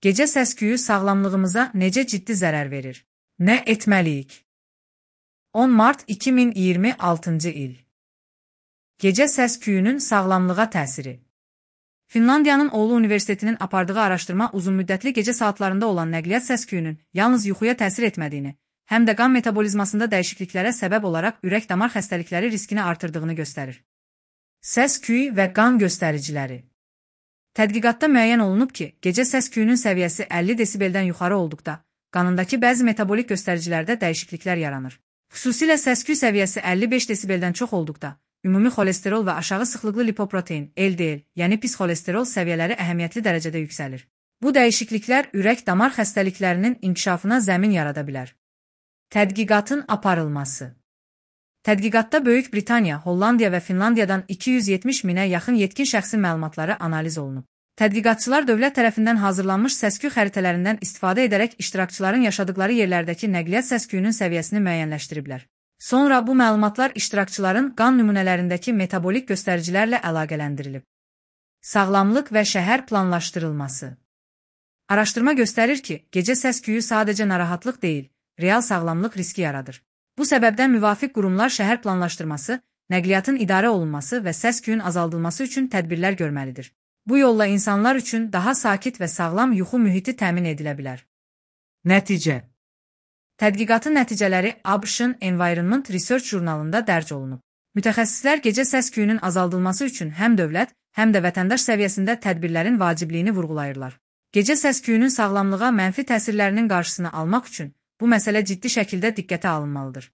Gecə səs-küyü sağlamlığımıza necə ciddi zərər verir? Nə etməliyik? 10 mart 2026-cı il. Gecə səs-küyünün sağlamlığa təsiri. Finlandiyanın Oulu Universitetinin apardığı araşdırma uzunmüddətli gecə saatlarında olan nəqliyyat səs-küyünün yalnız yuxuya təsir etmədiyini, həm də qan metabolizmasında dəyişikliklərə səbəb olaraq ürək-damar xəstəlikləri riskini artırdığını göstərir. Səs-küy və qan göstəriciləri. Tədqiqatda müəyyən olunub ki, gecə səs-küyünün səviyyəsi 50 desibeldən yuxarı olduqda, qanındakı bəzi metabolik göstəricilərdə dəyişikliklər yaranır. Xüsusilə səs-küy səviyyəsi 55 desibeldən çox olduqda, ümumi xolesterol və aşağı sıxlıqlı lipoprotein, LDL, yəni pis xolesterol səviyyələri əhəmiyyətli dərəcədə yüksəlir. Bu dəyişikliklər ürək-damar xəstəliklərinin inkişafına zəmin yarada bilər. Tədqiqatın aparılması. Tədqiqatda Böyük Britaniya, Hollandiya və Finlandiyadan 270 minə yaxın yetkin şəxsin məlumatları analiz olunub. Tədqiqatçılar dövlət tərəfindən hazırlanmış səs-küy xəritələrindən istifadə edərək iştirakçıların yaşadıkları yerlərdəki nəqliyyat səs-küyünün səviyyəsini müəyyənləşdiriblər. Sonra bu məlumatlar iştirakçıların qan nümunələrindəki metabolik göstəricilərlə əlaqələndirilib. Sağlamlıq və şəhər planlaşdırılması. Araşdırma göstərir ki, gecə səs-küyü sadəcə narahatlıq deyil, real sağlamlıq riski yaradır. Bu səbəbdən müvafiq qurumlar şəhər planlaşdırması, nəqliyyatın idarə olunması və səs-küyün azaldılması üçün tədbirlər görməlidir. Bu yolla insanlar üçün daha sakit və sağlam yuxu mühiti təmin edilə bilər. Nəticə. Tədqiqatın nəticələri ABŞ-ın Environment Research jurnalında dərc olunub. Mütəxəssislər gecə səs-küyünün azaldılması üçün həm dövlət, həm də vətəndaş səviyyəsində tədbirlərin vacibliyini vurğulayırlar. Gecə səs-küyünün sağlamlığa mənfi təsirlərinin qarşısını almaq üçün bu məsələ ciddi şəkildə diqqətə alınmalıdır.